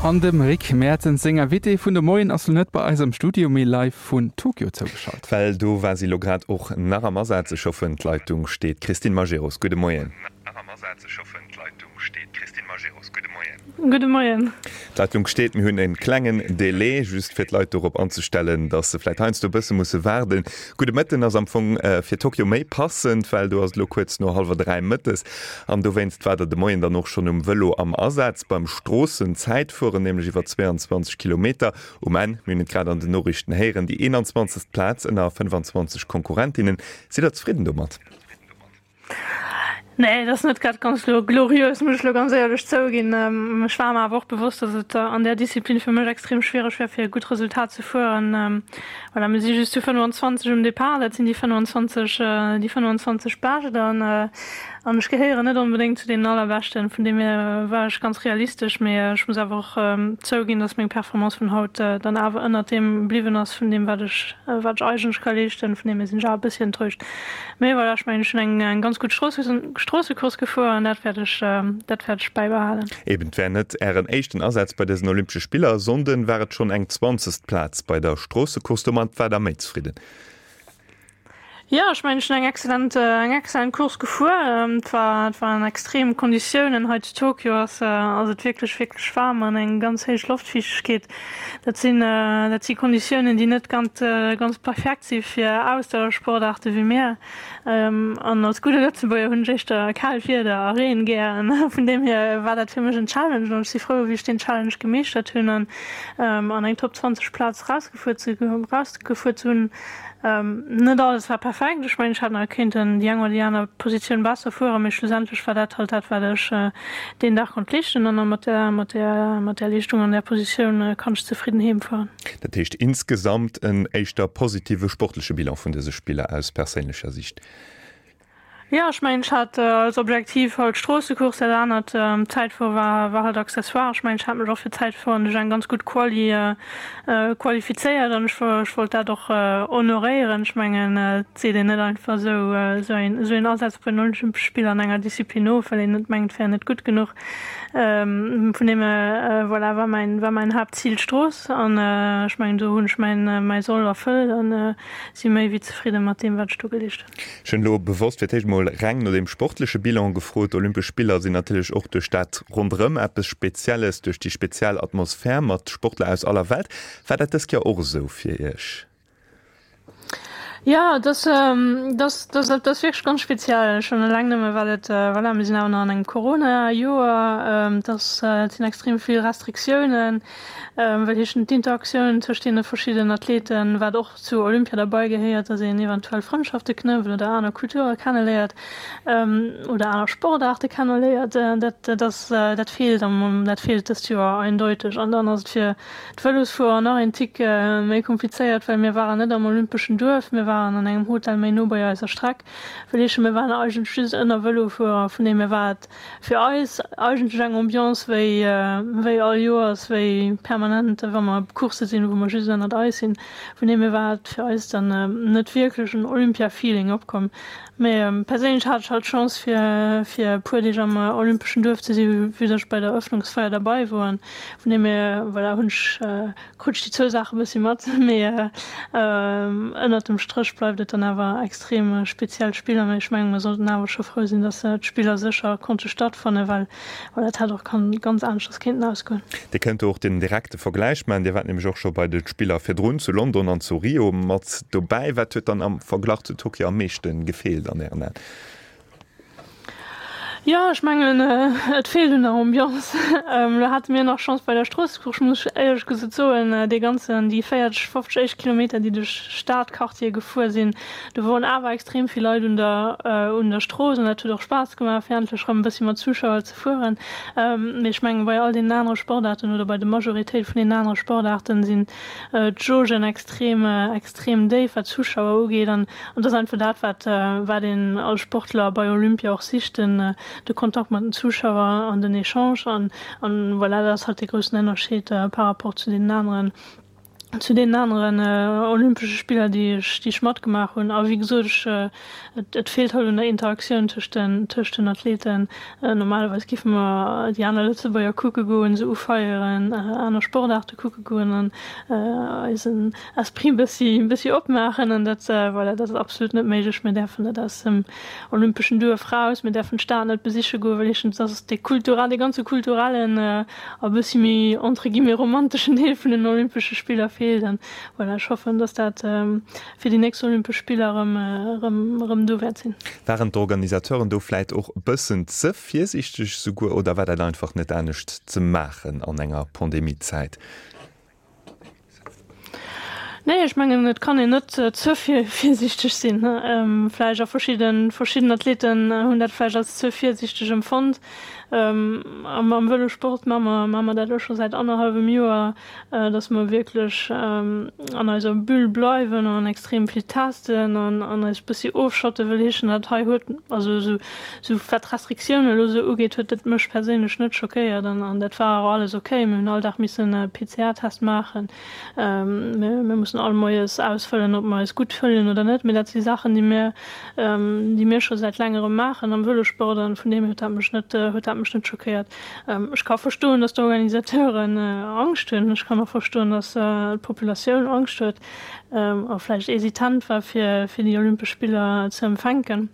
An dem Rick Mertens seng Invitée vun de Moien ass lo net bei eis am Studio, mee live vun Tokio zougeschalt. Well do war si lo grad och nach am Asaz. Ech hoffen d'Leitung steet. Christine Majerus, gudde Moien. Gudde Moien. D'Leitung steet. Mir hunn e klengen Delai, just fir d'Leit dorop anzestellen, datt se vläicht heiansdo e bësse musse waarden. Gudde Mëtten ass am Fong fir Tokio méi passend, well do ass et elo kuerz no hallwer 3 mëttes. An dowéinst war der de Moien dann och schonn um Vëlo am Asaz beim Stroossenzäitfueren, nämlech iwwer 22 Kilometer. Um Enn, mir hunn et grad an den Noriichten héieren, déi 21. Plaz ënner 25 Konkurrentinnen. Sidd der zefridden domat? Nee, et ass net grad ganz gloriös, muss ech elo ganz éierlech zouginn. Ech war mer awer och bewosst, datt et an där Disziplin fir mech extrem schwiereg wär, fir e gutt Resultat ze fueren. Voilà, mir si just zu 25 um Depart, dat sinn déi 25, déi 25 Bescht an an ech gehéieren net onbedéngt zu deenen allerbeschten. Vun deem hier war ech ganz realistesch, mee ech muss awer och zouginn, datt meng Performance vun haut dann awer ënnert deem bliwwen ass, vun deem wat ech, wat ech eigentlech ka leeschten. Vun deem hier sinn ech awer e bëssi enttäuscht. Mee voilà, ech mengen, ech hunn eng ganz gutt Stroossecourse gefuer an dat wäert ech, dat wäert ech bäibehalen. Eben, et war net Ären éischten Asaz bei dësen Olympesche Spiller. E Sonnden war et schonn eng zwanzegst Plaz bei der Stroossecourse. Domat war Der méi zefridden? Jo, ech mengen, ech hunn eng exzellent, eng exzellent Course gefuer. Et war, et waren extrem Konditiounen. Hei zu Tokio ass, ass et wierklech, wierklech waarm an eng ganz héich Loftfiichtegkeet. Dat sinn, dat si Konditiounen, déi net ganz, ganz perfekt si fir Ausdauersportaarte wéi mir. An als gudde Lëtzebuerger hunn ech éischter kaalt Wieder a Reen gär. Vun deem hier war dat fir mech en Challenge an ech si frou, wéi ech deen Challenge gemeeschtert hunn an an eng Top 20 Plaz erausgefuer ze, erausgefuer ze hunn. Net alles war perfekt. Ech mengen, ech hätt nach kéinten déi eng oder déi aner Positioun besser fueren, mee schlussendlech war dat halt dat, wat ech deen Dag konnt leeschten. An mat där, mat där, mat där Leeschtung an där Positioun kann ech zefridden heem fueren. Dat heescht insgesamt en éischter positive sportleche Bilan vun dëse Spiller aus perséinlecher Sicht? Jo, ech mengen, ech hat als Objektiv halt d'Stroossecourse, dat anert, d'Zäitfuere war, war halt accessoire. Ech mengen, ech hat mech och fir d'Zäitfueren duerch eng ganz gutt Quali qualifizéiert an ech, ech wollt dat och honoréieren. Ech mengen, et seet een net einfach esou, esou een, esou een Asaz bei den Olympesche Spiller an enger Disziplin of, well een net mengt, et wär net gutt genuch. Vun deem hier, voilà, war mäin, war mäin Haaptzil d'Strooss an ech mengen, do hunn ech mäin, mäi Soll erfëllt an si méi wéi zefridde mat deem, wat ech do geleescht hunn. Ech hunn elo bewosst fir d'éischt emol reng no deem sportleche Bilan gefrot. D'Olympesch Spiller sinn natierlech och duerch dat ronderëm eppes Spezielles, duerch déi speziell Atmosphär mat Sportler aus aller Welt. War dat dëst Joer och esou fir Iech? Jo, et ass, et ass, et ass wierklech ganz speziell. Schonn eleng nëmme well et, voilà, mir sinn awer nach an engem Corona-Joer, et ass, et sinn extrem vill Restriktiounen, well heeschen d'Interaktioun tëscht deene verschiddenen Athleten, wat och zu Olympia derbei gehéiert, dass een eventuell Frëndschafte knëppt oder aner Kulture kenneléiert oder aner Sportaarte kenneléiert, dat dat ass dat feelt am dat feelt dëst Joer eindeuteg. An dann ass et fir d'Vëlosfuerer nach een Tick méi komplizéiert, well mir waren net am olympeschen Duerf, mir waren an engem Hotel méi no bei eiser Streck, wëll heeschen, mir waren eigentlech just ënner Vëlofuerer, vun deem hier war et Fir eis eigentlech eng Ambiance wéi wéi all Joers, wéi permanent wa mer op Coursse sinn, wou mer just ënnert eis sinn. Vun deem hier war et fir eis dann net wierklech en Olympia-Feeling opkomm. Mee perséinlech hat ech halt d'Chance fir fir e puer Deeg am olympeschen Duerf ze si vue dass ech bei der Eröffnungsfeier derbei wor. An vun deem hier voilà hunn ech Krut ech déi zwou Saache bëssi mat, mee ënnert dem Stréch bleift et dann awer extrem speziell Spiller. Mee ech mengen, mer sollten awer scho frou sinn, datt d'Spiller sécher konnte stattfannen, well voilà, et hätt och ganz aneschters kéinten ausgoen. Dir kënnt do och den direkte Vergläich maachen. Dir waart nämlech och scho bei de Spiller virdrun zu London an zu Rio mat dobäi. Wat huet dann am Verglach zu Tokio am meeschte gefeelt an Ären Aen? Jo, ech mengen, et feelt un der Ambiance. Elo hate mir nach Chance bei der Stroossecourse, muss ech éierlech gesot soen. Dee ganzen, déi 40, 50 éischt Kilometer, déi duerch Stadquartiere gefuer sinn, do woren awer extrem vill Leit un der, un der Strooss an dat huet och Spaass gemaach, fir endlech erëm e bëssi mat Zuschauer ze fueren. Mee ech mengen, bei all deenen anere Sportaarten oder bei de Majoritéit vun deenen anere Sportaarten sinn d'Jaugen extrem, extrem déif, wat d'Zuschauer ugeet. An dat ass einfach dat, wat, wat een als Sportler bei Olympia och sicht, den, de Kontakt mat den Zuschauer an den Echange. An, an voilà, dat ass halt dee groussen Ënnerscheed par rapport zu deenen aneren. Zu deenen aneren Olympesche Spiller, déi ech, déi ech matgemaach hunn. A wéi gesot, ech, et, et feelt halt un der Interaktioun tëscht den, tëscht den Athleten. Normalerweis géife mer déi aner Lëtzebuerger kucke goen, se ufeieren, aner Sportaarte kucke goen an eisen Esprit e bëssi, e bëssi opmaachen. An dat, voilà, dat ass absolut net méiglech. Mir däerfen net aus dem olympeschen Duerf raus, mir däerfen d'Stad net besiche goen, well heeschen, dass dee kulturell, dee ganze kulturellen a bëssi méi entre guillemets romanteschen Deel vun den Olympesche Spiller feelt. An voilà, ech hoffen, dass dat fir déi nächst Olympesch Spiller erëm, erëm, erëm do wäert sinn. Waren d'Organisateuren do vläit och e bëssen ze virsiichteg souguer oder war dat einfach net anescht ze maachen an enger Pandemiezäit? Nee, ech mengen, et kann een net ze virsiichteg sinn. Vläicht a verschidden, verschidden Athleten hunn dat vläicht als ze virsiichteg empfonnt. Am, am Vëlosport maache mer, maache mer dat elo scho säit annerhallwem Joer, datt mer wierklech an eiser Bulle bleiwen an extrem vill testen an, an eis bëssi ofschotten, wëll heeschen, dat hei huet, also esou, esou wat d'Restriktiounen elo esou ugeet, huet dat mech perséinlech net schockéiert an, an dat war och alles okay. Mir hunn all Dag missen e PCR-Test maachen. Mir mussen all Moies ausfëllen, ob mer eis gutt fëllen oder net. Mee dat si Saachen, déi mir, déi mir scho säit längerem maachen am Vëlosport an vun deem hier huet dat mech net, huet dat mech net schockéiert. Ech ka verstoen, datt d'Organisateuren Angscht hunn. Ech kann och verstoen, datt d'Populatioun Angscht huet a vläicht hesitant war, fir, fir déi Olympesch Spiller ze empfänken.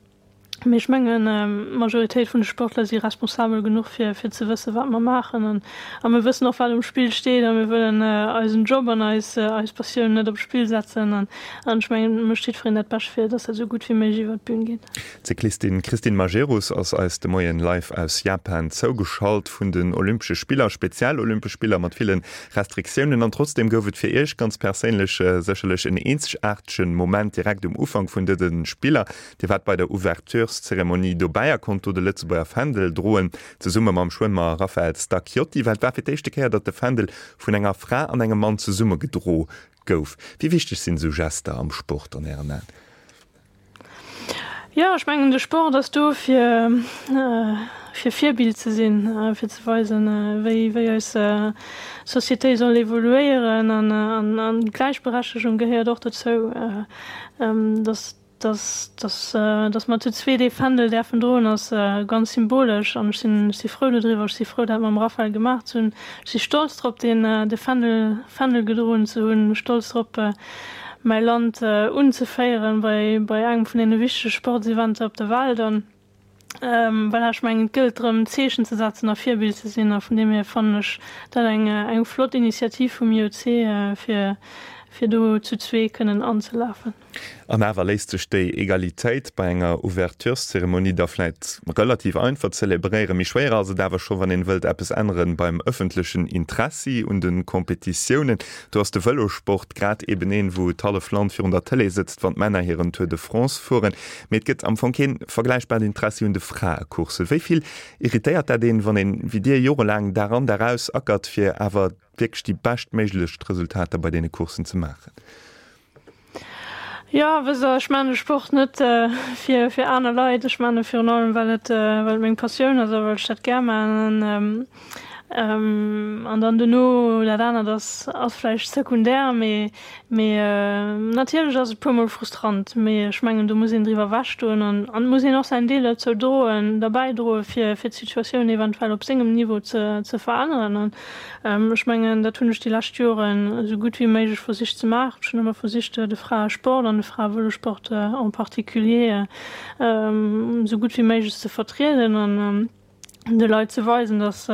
Mee ech mengen, d'Majoritéit vun de Sportler si responsabel genuch, fir fir ze wëssen, wat mer maachen. An a mir wëssen och, wat um Spill steet. A mir wëllen eisen Job an eis eis Passioun net op d'Spill setzen. An an ech mengen, et mécht jiddwereen dat Bescht, fir datt dat esou gutt wéi méiglech iwwert d'Bün geet. D'Cyclistin Christine Majerus ass eis de Moien live aus Japan zougeschalt vun den Olympesche Spiller, speziell Olympesch Spiller mat ville Restriktiounen. An trotzdeem gouf et fir Iech ganz perséinlech sécherlech en eenzegaartegen Moment direkt um Ufank vun dëse Spiller. Dir waart bei der Ouvertureszeremonie dobäi a konnt do de Lëtzebuerger Fändel droen, zesumme mam Schwëmmer Raphael Stacchiotti. Well et war fir d'éischte Kéier, datt de Fändel vun enger Fra an engem Mann zesumme gedro gouf. Wéi wichteg sinn esou Gester am Sport an Ären Aen? Jo, ech mengen de Sport ass do fir fir Virbild ze sinn, fir ze weisen, wéi wéi eis Société soll evoluéieren an an d'Gläichberechtegung gehéiert och dozou, datt Dass, dass, dass mer zu zweet ee Fändel däerfen droen, ass ganz symbolesch an ech sinn, ech si frou dodriwwer. Ech si frou, dat mam Raphaël gemaach ze hunn. Ech si stolz drop, deen, de Fändel, Fändel gedroen ze hunn, stolz drop, mäi Land unzeféieren bei, bei engem vun deene wichtege Sportseventer op der Welt. An voilà, ech mengen, et gëllt drëm, Zeechen ze setzen a Virbild ze sinn. A vun deem hier fannen ech dat eng, eng flott Initiativ vum IOC, fir, fir do zu zwee kënnen anzelafen. An awer léisst sech déi Egalitéit bei enger Ouvertureszeremonie da vläit relativ einfach zelebréieren. Méi schwéier ass et awer scho wann een wëllt eppes änneren beim ëffentlechen Interessi un de Competitiounen. Do ass de Vëlosport grad eben een, wou d'hallef Land virun der Tëlee sëtzt, wann d'Männer hiren Tour de France fueren. Mee et gëtt am Fong keen vergläichbart Interessi un de Fraecourssen. Wéi vill irritéiert dat een, wann een, wéi dir, jorelaang Dag an Dag aus ackert, fir awer wierklech déi beschtméiglechst Resultater bei deene Courssen ze maachen? Jo, wësst Der, ech maachen de Sport net fir fir aner Leit. Ech maachen e virun allem, well et well et meng Passioun ass a well ech dat gär maachen. An an dann dono dat anert ass ass vläicht sekundär, mee mee natierlech ass et puermol frustrant. Mee ech mengen, do muss een driwwer ewechstoen an an et muss een och säin Deel dozou droen, derbäidroen, fir fir d'Situatioun eventuell op sengem Niveau ze ze veränneren. An Ech mengen, dat hunn ech déi lescht Joren esou gutt wéi méiglech versicht ze maachen. Ech hunn ëmmer versicht, de Fraesport an de Fraevëlosport en particulier esou gutt wéi méiglech ze vertrieden an de Leit ze weisen, dass,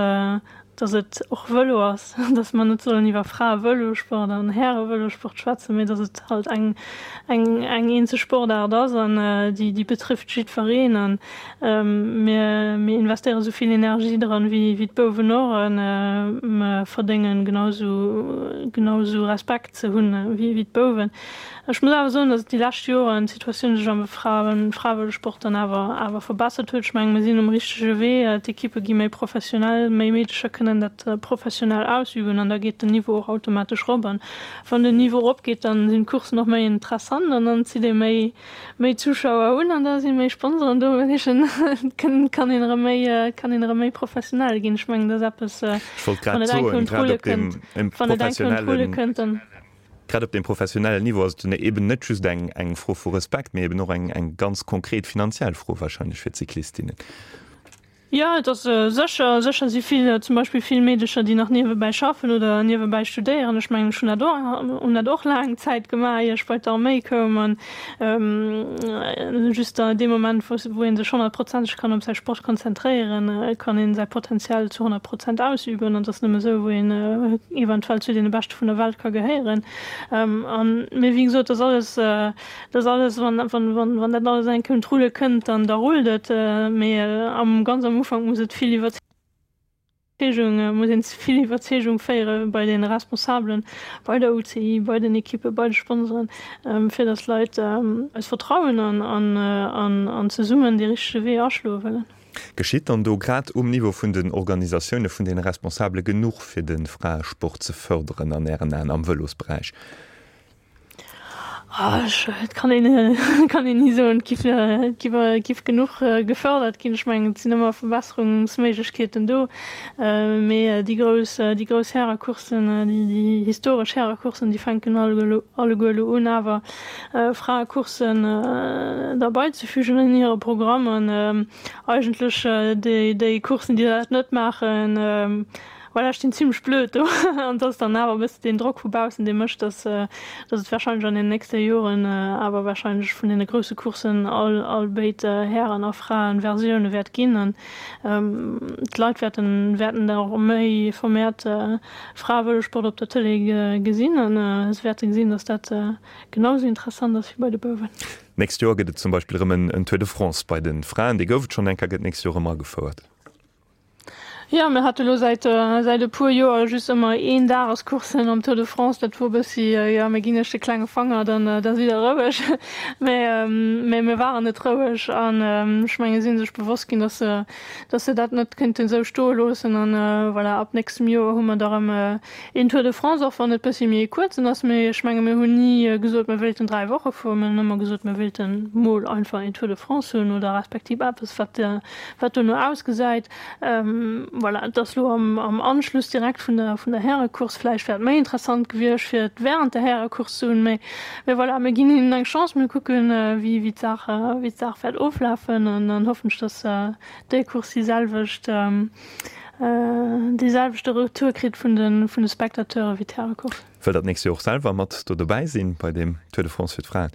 dass et och Vëlo ass, dass mer net sollen iwwer Fraevëlosport an Härevëlosport schwätzen, mee dass et halt eng, eng, eng eenzeg Sportaart ass an déi, déi betrifft jiddwereen. An Mir investéiere sou vill Energie dran wéi d'Bouwen och a mer verdéngen genau sou Respekt ze hunn wéi d'Bouwen. Ech muss awer soen, datt déi lescht Joren d'Situatioun sech am Fraevëlosport dann awer verbessert huet. Ech mengen, mir sinn um richtege Wee. D'Ekippe gi méi professionell, méi Meedecher kënnen dat professionell ausüben an da geet den Niveau och automatesch rop. An wann den Niveau eropgeet, dann sinn d'Courssen och méi interessant an dann zitt ee méi méi Zuschauer hunn an da si méi Sponsoren do, well heeschen kann een erëm méi kann een erëm méi professionell ginn. Ech mengen dat ass eppes, Ech wollt grad soen, grad op deem wann et eng Kéier un d'Rulle kënnt, dann. Grad op deem professionellen Niveau ass et eben net just eng eng Fro vu Respekt, mee eben och eng eng ganz konkret finanziell Fro wahrscheinlech fir d'Cyclistinnen. Jo, et ass sécher, sécher si vill, zum Beispill vill Meedecher, déi nach niewebäi schaffen oder niewebäi studéieren. Ech mengen, ech hunn dat och, hunn dat och laang Zäit gemaach, ier ech bei d'Arméi koum. An just dee Moment, wou wou ee sech honnertprozenteg kann op säi Sport konzentréieren, kann ee säi Potenzial zu 100 Prozent ausüben. An et ass nëmme esou, wou een eventuell zu deene Beschte vun der Welt ka gehéieren. An, mee wéi gesot, dat ass alles, Dat ass alles, wann, wann, wann, wann dat alles eng Kéier un d'Rulle kënnt, dann da rullt et. Mee am, ganz am Ufank muss et vill Iwwerzeegung, muss een vill Iwwerzeegung féiere bei de Responsabelen, bei der UCI, bei den Ekippen, bei de Sponsoren, fir datt d'Leit eis vertrauen an, an, an, an zesummen dee richtege Wee aschloe wëllen. Geschitt dann do grad um Niveau vun den Organisatioune vun deene Responsabele genuch, fir de Fraesport ze fërderen an Ären Aen am Vëlosberäich? Et kann een kann een ni soen, et giff et giff et giff genuch gefërdert ginn. Ech mengen, et sinn ëmmer Verbesserungsméiglechkeeten do. Mee déi grouss déi grouss Härecourssen, déi déi historesch Härecourssen, déi fänken alleguer alleguer elo un awer Fraecourssen derbeizefügen an hire Programm. An eigentlech déi déi Courssen, déi dat net maachen, Voilà, ech stinn zimlech blöd do an et ass dann awer e bësse deen Drock vu baussen, dee mécht, dass dass et warscheinlech an den nächste Joren awer warscheinlech vun deene grousse Courssen all all béid Hären a Fraen Versioune wäert ginn an d'Leit wäerten wäerten da och méi vermehrt Fraevëlosport op der Tëlee gesinn an se wäerte gesinn, dass dat genau esou interessant ass wéi bei de Bouwen. D'nächst Joer gëtt et zum Beispill erëm en Tour de France bei de Fraen, dee gouf et schonn eng Kéier, gëtt d'nächst Joer erëm agefouert. Jo, mir hate lo säit säit e puer Joer just ëmmer een Dagescoursen am Tour de France. Dat wor bëssi, jo, mir ginn iech de klenge Fanger, dann da sidd der roueg. Mä mä mir waren net roueg an ech menge si sech bewosst ginn, datt se datt se dat net kéinten esou stoe loossen. An voilà, ab nächstem Joer hu mer da rëm een Tour de France, och wann et bëssi méi e kuerzen ass. Mee ech menge mir hunn ni gesot, mir wéilten 3 Woche fueren. Mir hunn ëmmer gesot, mir wéilte mol einfach een Tour de France hunn oder respektiv eppes, wat Wat dono ausgesäit, voilà, et ass elo am Anschluss direkt vun der vun der Härecourse. Vläicht wär et méi interessant gewiescht, fir et während der Härecourse ze hunn, mee mee voilà, mir ginn hinnen eng Chance, mir kucken, wéi wéi d'Saach wéi d'Saach wäert oflafen an dann hoffen ech, dass déi Course déi selwecht dee selwechte Retour kritt vun de vun de Spectateure wéi d'Härecourse. Wëllt Der d'nächst Joer och selwer mat do dobäi sinn bei deem Tour de France fir d'Fraen?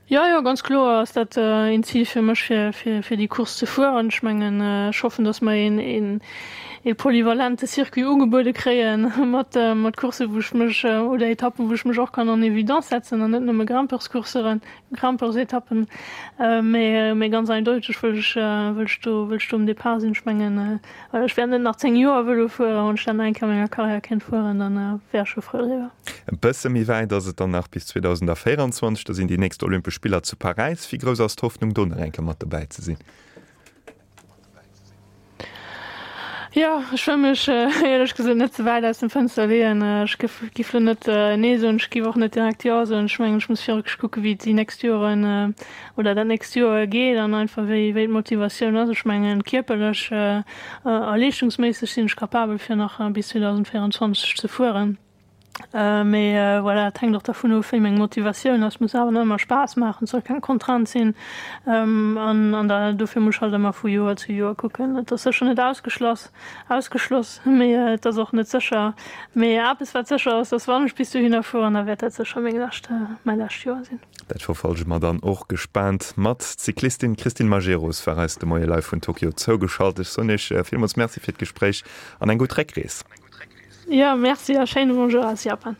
Jo, jo, ganz kloer ass dat een Zil fir mech, fir, fir déi Course ze fueren. Ech mengen, ech hoffen, datt mer een, een, ee polyvalente Circuit ugebuede kréien, mat, mat Courssen, wou ech mech, oder Etappen, wou ech mech och kann en évidence setzen an net nëmme Grimpeurscourseren, Grimpeursetappen. Mee, mee ganz eindeuteg wëll ech, wëll ech do, wëll ech do um Depart sinn. Ech mengen, Well ech wäert net nach 10 Joer Vëlo fueren, wann ech dat nach eng Kéier a menger Karriär kéint fueren, dann wär ech scho frou driwwer. E bësse méi wäit ass et dann nach bis 2024, da sinn déi nächst Olympesch Spiller zu Paräis. Wéi grouss ass d'Hoffnung do nach eng Kéier mat dobäi ze sinn? Jo, ech wëll mech éierlech gesot net ze wäit aus dem Fënster leeën. Ech giff lo net Nee soen, ech giff och net direkt Jo soen. Ech mengen, ech muss wierklech kucke wéi déi nächst Joren oder dat nächst Joer geet an einfach wéi wéi d'Motivatioun ass. Ech mengen kierperlech a leeschtungsméisseg sinn ech capabel fir nach bis 2024 ze fueren. Mee voilà, et hänkt och dervun of wéi meng Motivatioun ass. Muss awer nach ëmmer Spaass maachen, et soll keng Contrainte sinn an an da dofir muss ech halt ëmmer vu Joer zu Joer kucken. Et ass sécher net ausgeschloss ausgeschloss, mee et ass och net sécher. Mee eppes wat sécher ass, dass wann ech bis dohinner fueren, da wäert dat sécher meng lescht mäi lescht Joer sinn. Dat verfollege mer dann och gespaant mat. D'Cyclistin Christine Majerus war eis de Moie live vun Tokio zougeschalt. Ech soen Iech villmools Merci fir d'Gespréich an eng gutt Réckrees. Jo, Merci a schéine Bonjour aus Japan.